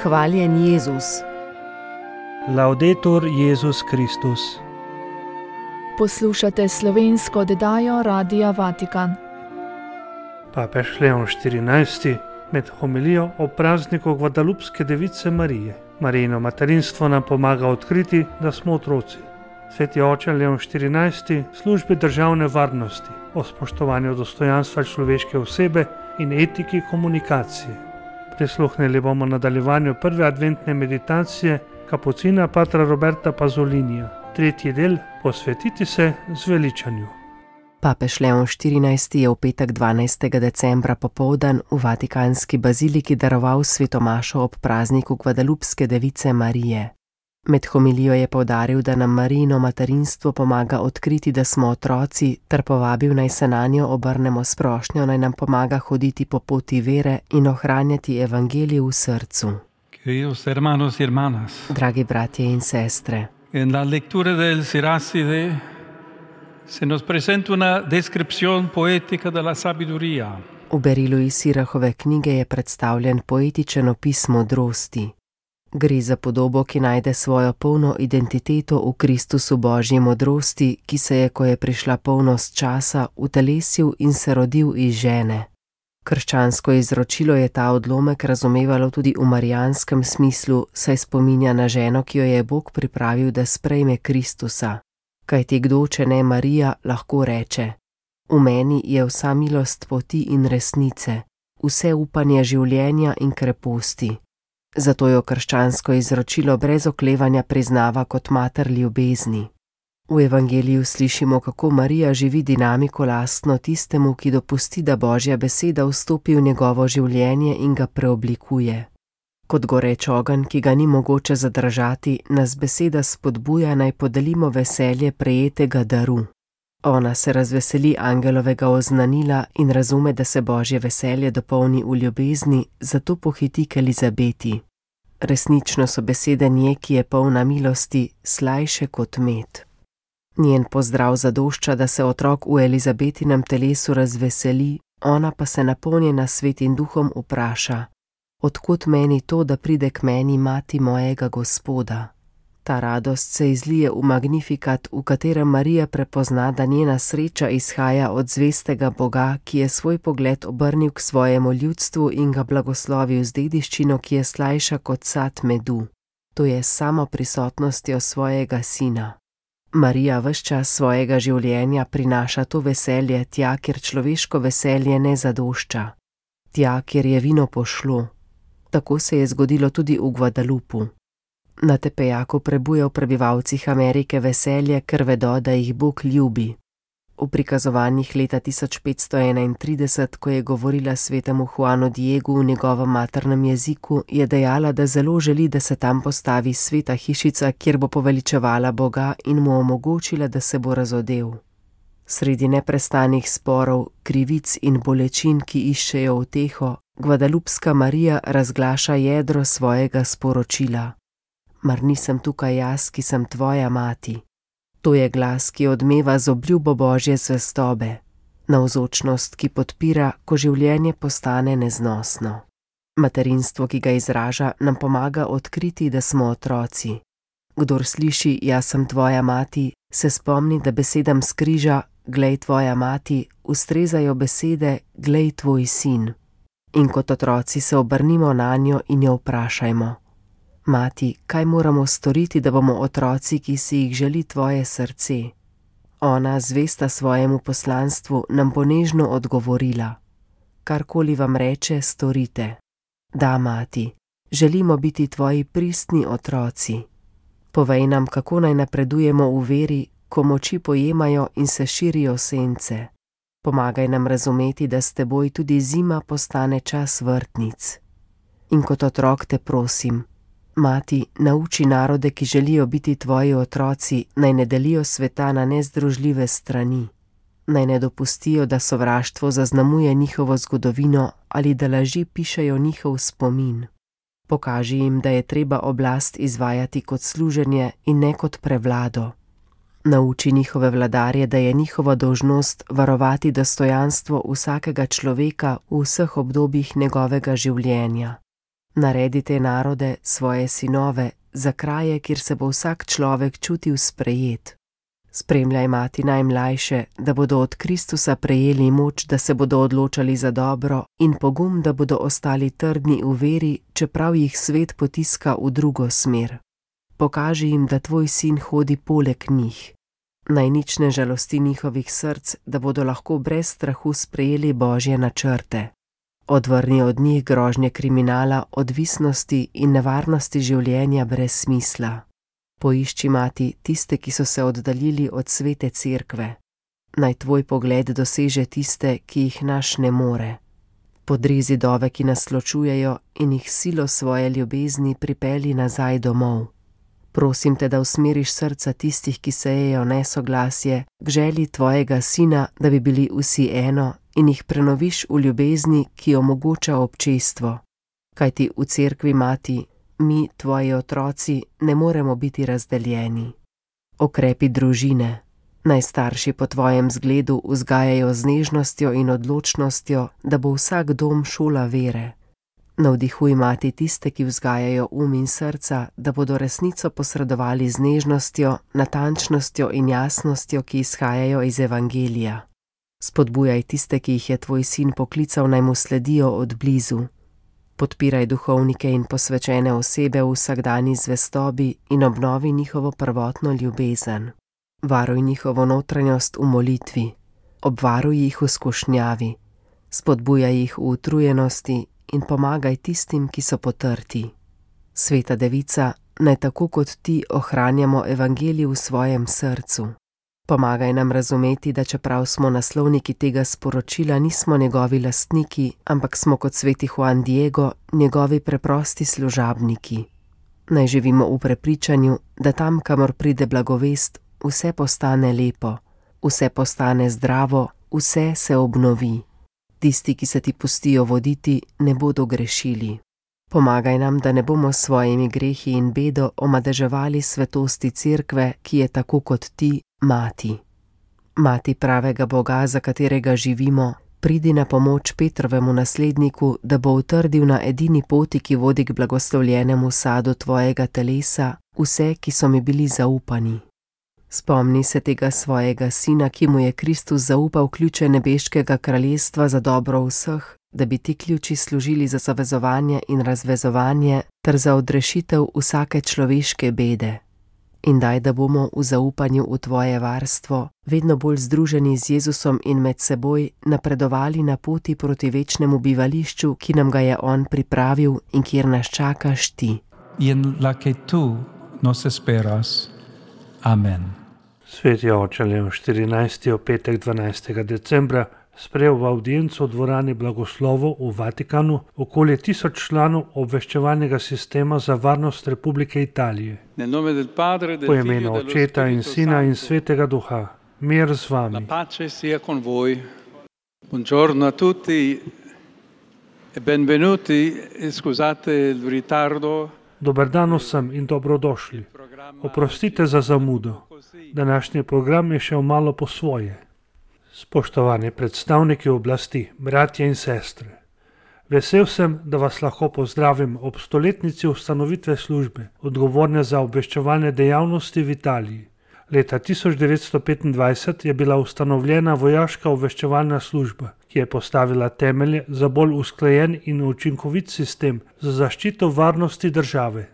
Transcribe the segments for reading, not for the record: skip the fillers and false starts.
Hvaljen Jezus. Laudetur Jezus Kristus. Poslušate slovensko oddajo Radia Vatikan. Papež Leon XIV. Med homilijo o prazniku Gvadalupske device Marije. Marijino materinstvo nam pomaga odkriti, da smo otroci. Sveti oče Leon XIV. Službi državne varnosti, o spoštovanju dostojanstva človeške osebe in etiki komunikacije. Prisluhnili bomo nadaljevanju prve adventne meditacije kapucina patra Roberta Pazolinija. Tretji del: posvetiti se zveličanju. Papež Leon XIV. Je v petek 12. decembra popoldan v Vatikanski baziliki daroval sveto mašo ob prazniku Gvadalupske device Marije. Med homilijo je poudaril, da nam Marijino materinstvo pomaga odkriti, da smo otroci, ter povabil, naj se nanjo obrnemo s prošnjo, naj nam pomaga hoditi po poti vere in ohranjati evangelij v srcu. Queridos hermanos y hermanas, Dragi bratje in sestre, en la lectura del Siracide se nos presenta una descripción poética de la sabiduría. v berilu iz Sirahove knjige je predstavljen poetičen opis modrosti. Gre za podobo, ki najde svojo polno identiteto v Kristusu Božji modrosti, ki se je, ko je prišla polnost časa, utelesil in se rodil iz žene. Krščansko izročilo je ta odlomek razumevalo tudi v marijanskem smislu, saj spominja na ženo, ki jo je Bog pripravil, da sprejme Kristusa. Kajti kdo, če ne Marija, lahko reče: v meni je vsa milost poti in resnice, vse upanje življenja in kreposti. Zato jo krščansko izročilo brez oklevanja priznava kot mater ljubezni. V evangeliju slišimo, kako Marija živi dinamiko lastno tistemu, ki dopusti, da Božja beseda vstopi v njegovo življenje in ga preoblikuje. Kot goreč ogenj, ki ga ni mogoče zadržati, nas beseda spodbuja, naj podelimo veselje prejetega daru. Ona se razveseli angelovega oznanila in razume, da se Božje veselje dopolni v ljubezni, zato pohiti k Elizabeti. Resnično so besede nje, ki je polna milosti, slajše kot med. Njen pozdrav zadošča, da se otrok v Elizabetinem telesu razveseli, ona pa se napolnjena Svetim duhom vpraša: odkot meni to, da pride k meni mati mojega Gospoda? Ta radost se izlije v Magnifikat, v katerem Marija prepozna, da njena sreča izhaja od zvestega Boga, ki je svoj pogled obrnil k svojemu ljudstvu in ga blagoslovil z dediščino, ki je slajša kot sad medu. To je s samo prisotnostjo svojega sina. Marija ves čas svojega življenja prinaša to veselje tja, kjer človeško veselje ne zadošča. Tja, kjer je vino pošlo. Tako se je zgodilo tudi v Gvadalupu. Na Tepejaku prebuja v prebivalcih Amerike veselje, ker vedo, da jih Bog ljubi. V prikazovanjih leta 1531, ko je govorila svetemu Juanu Diegu v njegovem maternem jeziku, je dejala, da zelo želi, da se tam postavi sveta hišica, kjer bo poveličevala Boga in mu omogočila, da se bo razodel. Sredi neprestanih sporov, krivic in bolečin, ki iščejo uteho, Gvadalupska Marija razglaša jedro svojega sporočila. Mar nisem tukaj jaz, ki sem tvoja mati? To je glas, ki odmeva z obljubo Božje zvestobe, navzočnost, ki podpira, ko življenje postane neznosno. Materinstvo, ki ga izraža, nam pomaga odkriti, da smo otroci. Kdor sliši: jaz sem tvoja mati, se spomni, da besedam s križa glej tvoja mati, ustrezajo besede glej tvoj sin. In kot otroci se obrnimo nanjo in jo vprašajmo: mati, kaj moramo storiti, da bomo otroci, ki si jih želi tvoje srce? Ona, zvesta svojemu poslanstvu, nam bo nežno odgovorila: karkoli vam reče, storite. Da, mati, želimo biti tvoji pristni otroci. Povej nam, kako naj napredujemo v veri, ko moči pojemajo in se širijo sence. Pomagaj nam razumeti, da s teboj tudi zima postane čas vrtnic. In kot otrok te prosim: mati, nauči narode, ki želijo biti tvoji otroci, naj ne delijo sveta na nezdružljive strani. Naj ne dopustijo, da sovraštvo zaznamuje njihovo zgodovino ali da laži pišejo njihov spomin. Pokaži jim, da je treba oblast izvajati kot služenje in ne kot prevlado. Nauči njihove vladarje, da je njihova dolžnost varovati dostojanstvo vsakega človeka v vseh obdobjih njegovega življenja. Naredi te narode, svoje sinove, za kraje, kjer se bo vsak človek čutil sprejet. Spremljaj mati najmlajše, da bodo od Kristusa prejeli moč, da se bodo odločali za dobro, in pogum, da bodo ostali trdni v veri, čeprav jih svet potiska v drugo smer. Pokaži jim, da tvoj sin hodi poleg njih. Naj nič ne žalosti njihovih src, da bodo lahko brez strahu sprejeli Božje načrte. Odvrni od njih grožnje kriminala, odvisnosti in nevarnosti življenja brez smisla. Poišči, mati, tiste, ki so se oddaljili od svete cerkve. Naj tvoj pogled doseže tiste, ki jih naš ne more. Podri zidove, ki nas ločujejo, in jih silo svoje ljubezni pripelji nazaj domov. Prosim te, da usmeriš srca tistih, ki sejejo nesoglasje, k želji tvojega sina, da bi bili vsi eno, in jih prenoviš v ljubezni, ki omogoča občestvo. Kajti v cerkvi, mati, mi, tvoji otroci, ne moremo biti razdeljeni. Okrepi družine. Naj starši po tvojem zgledu vzgajajo z nežnostjo in odločnostjo, da bo vsak dom šola vere. Navdihuj, mati, tiste, ki vzgajajo in srca, da bodo resnico posredovali z nežnostjo, natančnostjo in jasnostjo, ki izhajajo iz Evangelija. Spodbujaj tiste, ki jih je tvoj sin poklical, naj mu sledijo od blizu. Podpiraj duhovnike in posvečene osebe v vsakdanji zvestobi in obnovi njihovo prvotno ljubezen. Varuj njihovo notranjost v molitvi. Obvaruj jih v skušnjavi. Spodbujaj jih v utrujenosti in pomagaj tistim, ki so potrti. Sveta Devica, naj tako kot ti ohranjamo Evangelij v svojem srcu. Pomagaj nam razumeti, da čeprav smo naslovniki tega sporočila, nismo njegovi lastniki, ampak smo kot sveti Juan Diego njegovi preprosti služabniki. Naj živimo v prepričanju, da tam, kamor pride blagovest, vse postane lepo, vse postane zdravo, vse se obnovi. Tisti, ki se ti pustijo voditi, ne bodo grešili. Pomagaj nam, da ne bomo s svojimi grehi in bedo omadeževali svetosti cerkve, ki je tako kot ti, mati. Mati pravega Boga, za katerega živimo, pridi na pomoč Petrovemu nasledniku, da bo utrdil na edini poti, ki vodi k blagoslovljenemu sadu tvojega telesa, vse, ki so mi bili zaupani. Spomni se tega svojega sina, ki mu je Kristus zaupal ključe nebeškega kraljestva za dobro vseh, da bi ti ključi služili za zavezovanje in razvezovanje ter za odrešitev vsake človeške bede. In daj, da bomo v zaupanju v tvoje varstvo vedno bolj združeni z Jezusom in med seboj napredovali na poti proti večnemu bivališču, ki nam ga je on pripravil in kjer nas čakaš ti. In la que tu nos esperas. Amen. Sveti oče Leon 14. v petek 12. decembra sprejel v audienco v dvorani blagoslovov v Vatikanu okoli 1000 članov obveščevalnega sistema za varnost Republike Italije. Po imenu Očeta in Sina in Svetega Duha, mir z vami. La pace sia con voi. Buongiorno a tutti e benvenuti. Scusate il ritardo. Dober dan vsem in dobrodošli. Oprostite za zamudo. Današnji program je šel malo po svoje. Spoštovani predstavniki oblasti, bratje in sestre. Vesel sem, da vas lahko pozdravim ob stoletnici ustanovitve službe, odgovorne za obveščevalne dejavnosti v Italiji. Leta 1925 je bila ustanovljena vojaška obveščevalna služba, ki je postavila temelje za bolj usklajen in učinkovit sistem za zaščito varnosti države.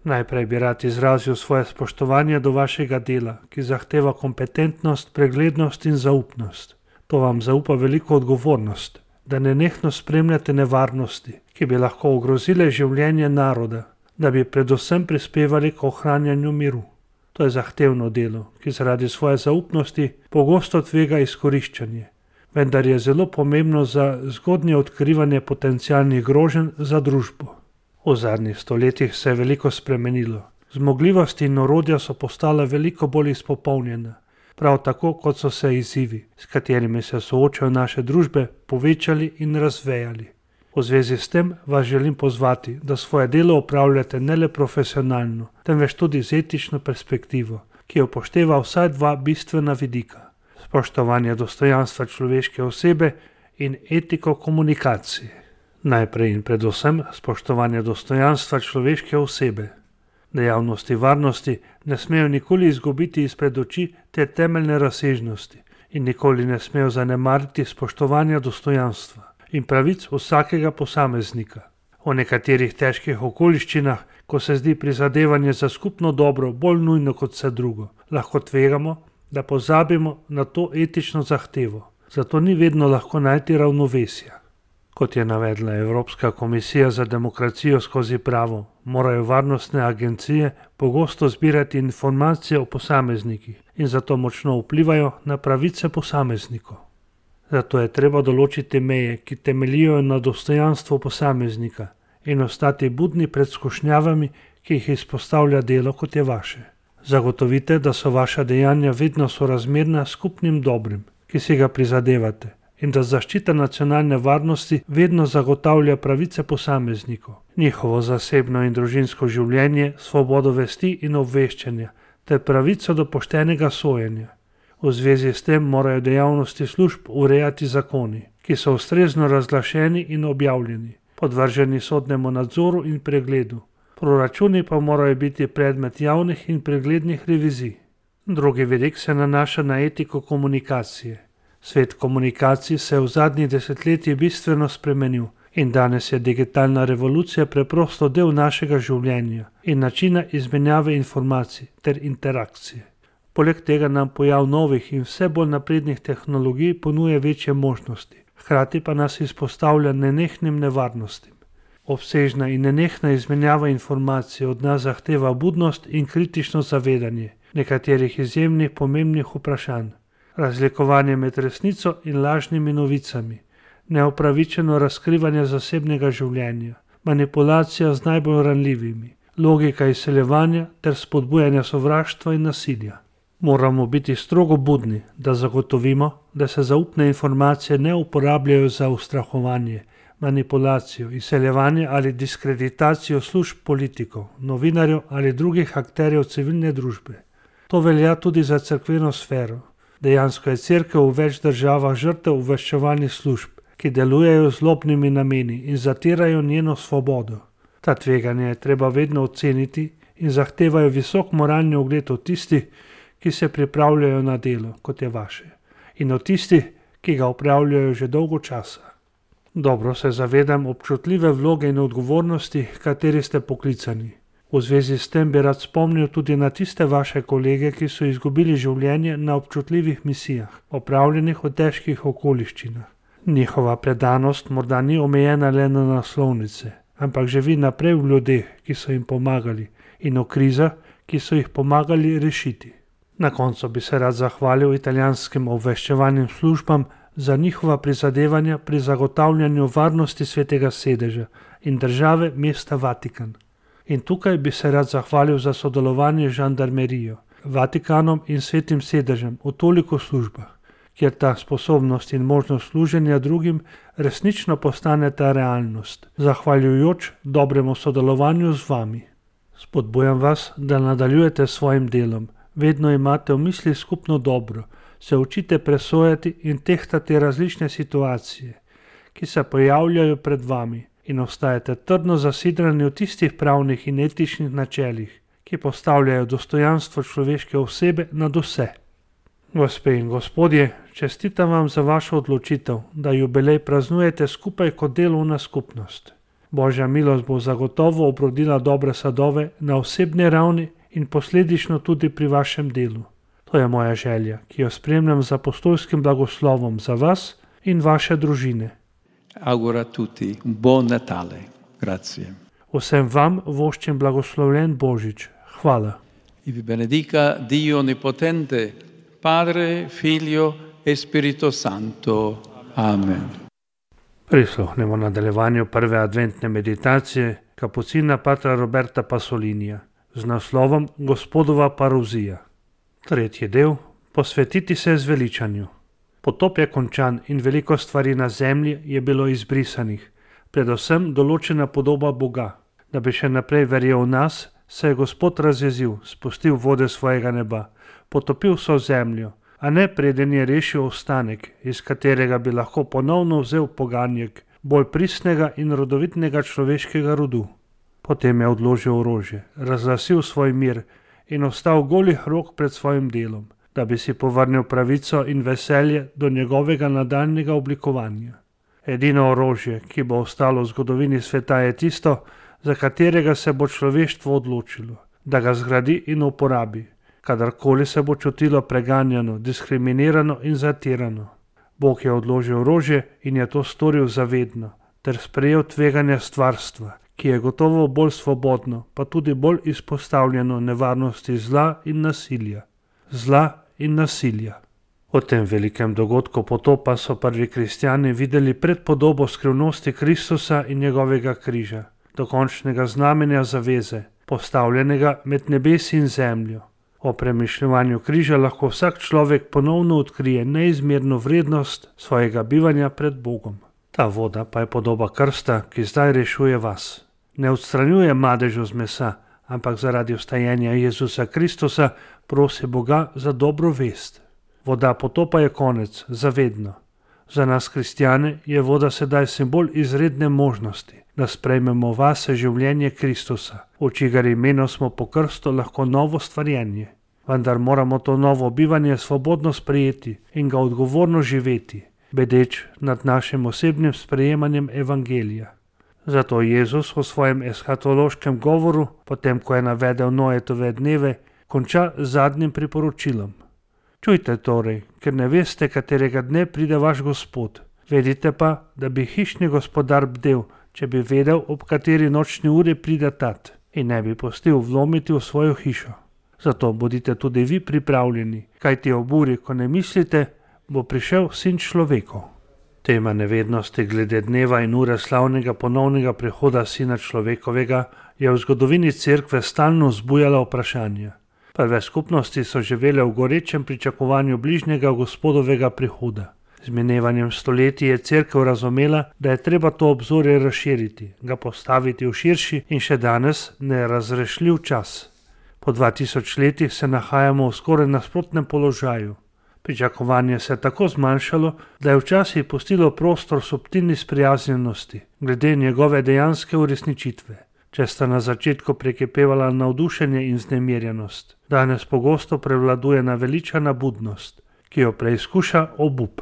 Najprej bi rad izrazil svoje spoštovanje do vašega dela, ki zahteva kompetentnost, preglednost in zaupnost. To vam zaupa veliko odgovornost, da nenehno spremljate nevarnosti, ki bi lahko ogrozile življenje naroda, da bi predvsem prispevali k ohranjanju miru. To je zahtevno delo, ki zaradi svoje zaupnosti pogosto tvega izkoriščanje, vendar je zelo pomembno za zgodnje odkrivanje potencialnih groženj za družbo. V zadnjih stoletjih se je veliko spremenilo. Zmogljivosti in orodja so postala veliko bolj izpopolnjena, prav tako kot so se izzivi, s katerimi se soočajo naše družbe, povečali in razvejali. V zvezi s tem vas želim pozvati, da svoje delo opravljate ne le profesionalno, temveč tudi z etično perspektivo, ki upošteva vsaj dva bistvena vidika: spoštovanje dostojanstva človeške osebe in etiko komunikacije. Najprej in predvsem spoštovanje dostojanstva človeške osebe. Dejavnosti varnosti ne smejo nikoli izgubiti izpred oči te temeljne razsežnosti in nikoli ne smejo zanemariti spoštovanja dostojanstva in pravic vsakega posameznika. O nekaterih težkih okoliščinah, ko se zdi prizadevanje za skupno dobro bolj nujno kot vse drugo, lahko tvegamo, da pozabimo na to etično zahtevo. Zato ni vedno lahko najti ravnovesja. Kot je navedla Evropska komisija za demokracijo skozi pravo, morajo varnostne agencije pogosto zbirati informacije o posameznikih in zato močno vplivajo na pravice posameznikov. Zato je treba določiti meje, ki temeljijo na dostojanstvu posameznika in ostati budni pred skušnjavami, ki jih izpostavlja delo, kot je vaše. Zagotovite, da so vaša dejanja vedno sorazmerna skupnim dobrim, ki si ga prizadevate, in da zaščita nacionalne varnosti vedno zagotavlja pravice posameznikov, njihovo zasebno in družinsko življenje, svobodo vesti in obveščanja ter pravico do poštenega sojenja. V zvezi s tem morajo dejavnosti služb urejati zakoni, ki so ustrezno razglašeni in objavljeni, podvrženi sodnemu nadzoru in pregledu. Proračuni pa morajo biti predmet javnih in preglednih revizij. Drugi vidik se nanaša na etiko komunikacije. Svet komunikacij se je v zadnjih desetletjih bistveno spremenil in danes je digitalna revolucija preprosto del našega življenja in načina izmenjave informacij ter interakcije. Poleg tega nam pojav novih in vse bolj naprednih tehnologij ponuja večje možnosti, hkrati pa nas izpostavlja nenehnim nevarnostim. Obsežna in nenehna izmenjava informacij od nas zahteva budnost in kritično zavedanje nekaterih izjemnih pomembnih vprašanj. Razlikovanje med resnico in lažnimi novicami, neupravičeno razkrivanje zasebnega življenja, manipulacija z najbolj ranljivimi, logika izseljevanja ter spodbujanja sovraštva in nasilja. Moramo biti strogo budni, da zagotovimo, da se zaupne informacije ne uporabljajo za ustrahovanje, manipulacijo, izseljevanje ali diskreditacijo služb politikov, novinarjev ali drugih akterjev civilne družbe. To velja tudi za cerkveno sfero. Dejansko je cerkev v več državah žrtev obveščevalnih služb, ki delujejo z zlobnimi nameni in zatirajo njeno svobodo. Ta tveganja je treba vedno oceniti in zahtevajo visok moralni ugled od tistih, ki se pripravljajo na delo, kot je vaše, in od tistih, ki ga opravljajo že dolgo časa. Dobro se zavedam občutljive vloge in odgovornosti, kateri ste poklicani. V zvezi s tem bi rad spomnil tudi na tiste vaše kolege, ki so izgubili življenje na občutljivih misijah, opravljenih v težkih okoliščinah. Njihova predanost morda ni omejena le na naslovnice, ampak živi naprej v ljudeh, ki so jim pomagali, in v krizah, ki so jih pomagali rešiti. Na koncu bi se rad zahvalil italijanskim obveščevalnim službam za njihova prizadevanja pri zagotavljanju varnosti Svetega sedeža in države mesta Vatikan. In tukaj bi se rad zahvalil za sodelovanje z žandarmerijo, Vatikanom in Svetim sedežem v toliko službah, kjer ta sposobnost in možnost služenja drugim resnično postane ta realnost, zahvaljujoč dobremu sodelovanju z vami. Spodbujam vas, da nadaljujete s svojim delom, vedno imate v misli skupno dobro, se učite presojati in tehtati različne situacije, ki se pojavljajo pred vami, in ostajate trdno zasidrani v tistih pravnih in etičnih načelih, ki postavljajo dostojanstvo človeške osebe nad vse. Gospe in gospodje, čestitam vam za vašo odločitev, da jubilej praznujete skupaj kot delovna skupnost. Božja milost bo zagotovo obrodila dobre sadove na osebni ravni in posledično tudi pri vašem delu. To je moja želja, ki jo spremljam z apostolskim blagoslovom za vas in vaše družine. Auguro a tutti un buon Natale. Grazie. Vsem vam voščim blagoslovljen Božič. Hvala. E vi benedica Dio Onnipotente, Padre, Figlio e Spirito Santo. Amen. Prisluhnemo nadaljevanju prve adventne meditacije kapucina patra Roberta Pasolinija z naslovom Gospodova paruzija. Tretji del. Posvetiti se zveličanju. Potop je končan in veliko stvari na zemlji je bilo izbrisanih, predvsem določena podoba Boga. Da bi še naprej verjel v nas, se je Gospod razjezil, spustil vode svojega neba, potopil vso zemljo, a ne preden je rešil ostanek, iz katerega bi lahko ponovno vzel poganjek bolj pristnega in rodovitnega človeškega rodu. Potem je odložil orožje, razglasil svoj mir in ostal golih rok pred svojim delom, da bi si povrnil pravico in veselje do njegovega nadaljnjega oblikovanja. Edino orožje, ki bo ostalo v zgodovini sveta, je tisto, za katerega se bo človeštvo odločilo, da ga zgradi in uporabi, kadarkoli se bo čutilo preganjano, diskriminirano in zatirano. Bog je odložil orožje in je to storil zavedno, ter sprejel tveganje stvarstva, ki je gotovo bolj svobodno, pa tudi bolj izpostavljeno nevarnosti zla in nasilja. Zla in nasilja. V tem velikem dogodku potopa so prvi kristjani videli predpodobo skrivnosti Kristusa in njegovega križa, dokončnega znamenja zaveze, postavljenega med nebesi in zemljo. O premišljevanju križa lahko vsak človek ponovno odkrije neizmerno vrednost svojega bivanja pred Bogom. Ta voda pa je podoba krsta, ki zdaj rešuje vas. Ne odstranjuje madežu z mesa, ampak zaradi vstajenja Jezusa Kristusa prosi Boga za dobro vest. Voda potopa je konec, zavedno. Za nas kristjane je voda sedaj simbol izredne možnosti, da sprejmemo vase življenje Kristusa, v čigar imenu smo po krstu lahko novo stvarjenje. Vendar moramo to novo bivanje svobodno sprejeti in ga odgovorno živeti, bedeč nad našim osebnim sprejemanjem evangelija. Zato Jezus v svojem eshatološkem govoru, potem ko je navedel Noetove dneve, konča z zadnjim priporočilom. Čujte torej, ker ne veste, katerega dne pride vaš Gospod. Vedite pa, da bi hišni gospodar bdel, če bi vedel, ob kateri nočni uri pride tat, in ne bi pustil vlomiti v svojo hišo. Zato bodite tudi vi pripravljeni, kajti ob uri, ko ne mislite, bo prišel Sin človekov. Tema nevednosti glede dneva in ure slavnega ponovnega prihoda Sina človekovega je v zgodovini cerkve stalno vzbujala vprašanja. Prve skupnosti so živele v gorečem pričakovanju bližnjega Gospodovega prihoda. Z minevanjem stoletij je cerkev razumela, da je treba to obzorje razširiti, ga postaviti v širši in še danes nerazrešljiv čas. Po 2000 letih se nahajamo v skoraj nasprotnem položaju. Pričakovanje se je tako zmanjšalo, da je včasih pustilo prostor subtilni sprijaznjenosti glede njegove dejanske uresničitve. Če sta na začetku prekipevala navdušenje in vznemirjenost, danes pogosto prevladuje naveličana budnost, ki jo preizkuša obup.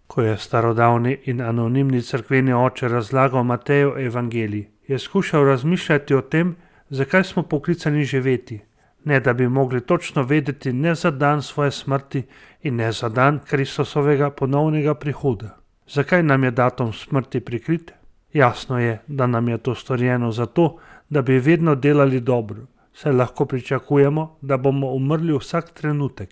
Ko je starodavni in anonimni cerkveni oče razlagal Matejev evangelij, je skušal razmišljati o tem, zakaj smo poklicani živeti, ne da bi mogli točno vedeti ne za dan svoje smrti in ne za dan Kristusovega ponovnega prihoda. Zakaj nam je datum smrti prikrit? Jasno je, da nam je to storjeno zato, da bi vedno delali dobro, saj lahko pričakujemo, da bomo umrli vsak trenutek.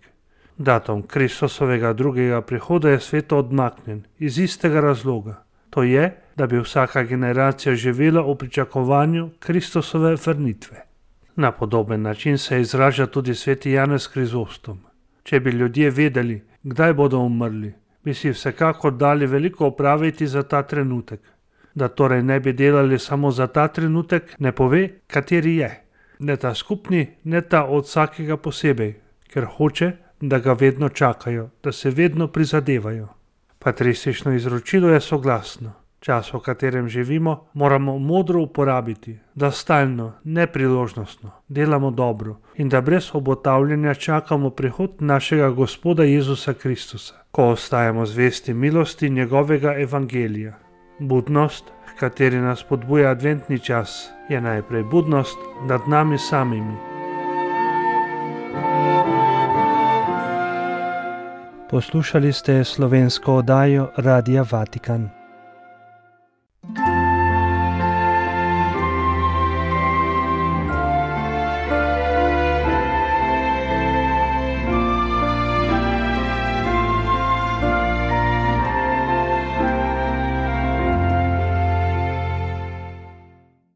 Datum Kristusovega drugega prihoda je sveto odmaknjen iz istega razloga. To je, da bi vsaka generacija živela v pričakovanju Kristusove vrnitve. Na podoben način se izraža tudi sveti Janez Krizostom. Če bi ljudje vedeli, kdaj bodo umrli, bi si vsekakor dali veliko opraviti za ta trenutek. Da torej ne bi delali samo za ta trenutek, ne pove, kateri je. Ne ta skupni, ne ta od vsakega posebej, ker hoče, da ga vedno čakajo, da se vedno prizadevajo. Patristično izročilo je soglasno. Čas, v katerem živimo, moramo modro uporabiti, da stalno, nepriložnostno, delamo dobro in da brez obotavljanja čakamo prihod našega Gospoda Jezusa Kristusa, ko ostajamo zvesti milosti njegovega evangelija. Budnost, h kateri nas podbuja adventni čas, je najprej budnost nad nami samimi. Poslušali ste slovensko oddajo Radia Vatikan.